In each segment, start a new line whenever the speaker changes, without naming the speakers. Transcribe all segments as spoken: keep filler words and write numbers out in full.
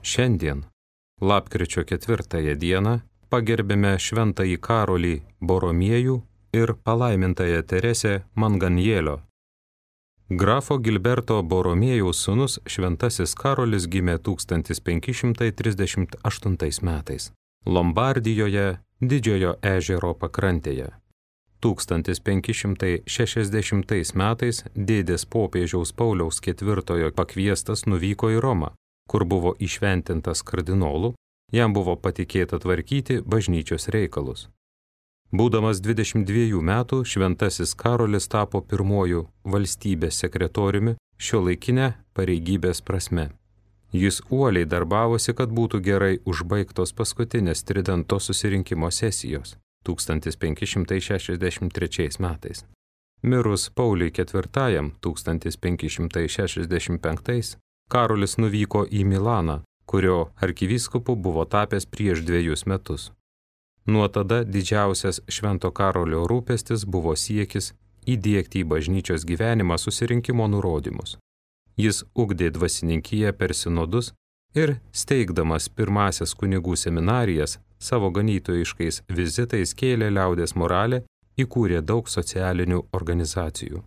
Šiandien, lapkričio ketvirtąją dieną, pagerbėme šventąjį Karolį Boromiejų ir palaimintąją Teresę Manganielio. Grafo Gilberto Boromiejaus sūnus šventasis Karolis gimė tūkstantis penki šimtai trisdešimt aštuntais metais Lombardijoje, Didžiojo ežero pakrantėje. tūkstantis penki šimtai šešiasdešimtais metais dėdės popiežiaus Pauliaus ketvirtojo pakviestas nuvyko į Romą, kur buvo įšventintas kardinolų, jam buvo patikėta tvarkyti bažnyčios reikalus. Būdamas dvidešimt dviejų metų, šventasis Karolis tapo pirmuoju valstybės sekretoriumi šiuolaikinę pareigybės prasme. Jis uoliai darbavosi, kad būtų gerai užbaigtos paskutinės Tridento susirinkimo sesijos tūkstantis penki šimtai šešiasdešimt trečiais metais. Mirus Pauliui ketvirtajam tūkstantis penki šimtai šešiasdešimt penktais, Karolis nuvyko į Milaną, kurio arkivyskupu buvo tapęs prieš dviejus metus. Nuo tada didžiausias Švento Karolio rūpestis buvo siekis įdiegti į bažnyčios gyvenimą susirinkimo nurodymus. Jis ugdė dvasininkiją per sinodus ir, steigdamas pirmasias kunigų seminarijas, savo ganytojiškais vizitais kėlė liaudės moralę, įkūrė daug socialinių organizacijų.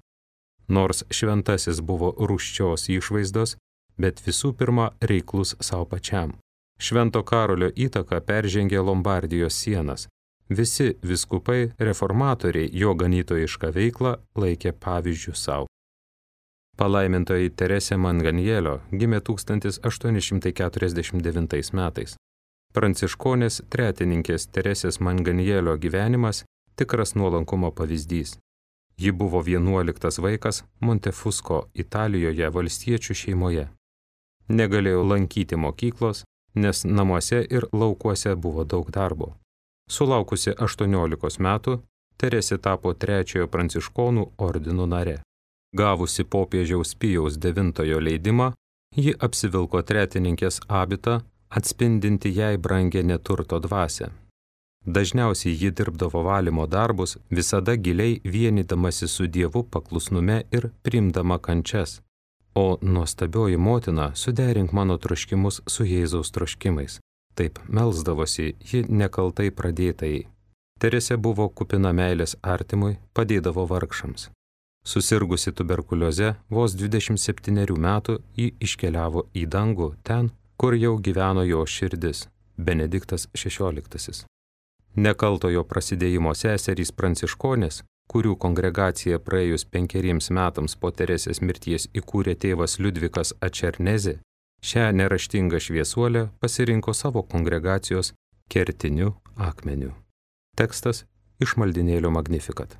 Nors šventasis buvo rūsčios išvaizdos, bet visų pirma reiklus savo pačiam. Švento Karolio įtaka peržengė Lombardijos sienas. Visi vyskupai reformatoriai jo ganytojišką veiklą laikė pavyzdžių savo. Palaimintoji Teresė Manganielio gimė tūkstantis aštuoni šimtai keturiasdešimt devintais metais. Pranciškonės tretininkės Teresės Manganielio gyvenimas tikras nuolankumo pavyzdys. Ji buvo vienuoliktas vaikas Montefusko Italijoje valstiečių šeimoje. Negalėjo lankyti mokyklos, nes namuose ir laukuose buvo daug darbo. Sulaukusi aštuoniolikos metų, Teresė tapo trečiojo pranciškonų ordino nare. Gavusi popiežiaus Pijaus devintojo leidimą, ji apsivilko tretininkės abitą, atspindinti jai brangę neturto dvasią. Dažniausiai ji dirbdavo valymo darbus, visada giliai vienydamasi su Dievu paklusnume ir priimdama kančias. O nuostabioji motina, suderink mano troškimus su Jėzaus troškimais. Taip melsdavosi ji nekaltai pradėtai. Teresė buvo kupina meilės artimui, padėdavo vargšams. Susirgusi tuberkulioze, vos dvidešimt septynerių metų ji iškeliavo į dangų ten, kur jau gyveno jo širdis, Benediktas šešioliktasis. Nekaltojo prasidėjimo seserys pranciškonės, kurių kongregacija praėjus penkeriems metams po Teresės mirties įkūrė tėvas Liudvikas Ačernezė, šią neraštingą šviesuolę pasirinko savo kongregacijos kertiniu akmeniu. Tekstas iš maldinėlio Magnificat.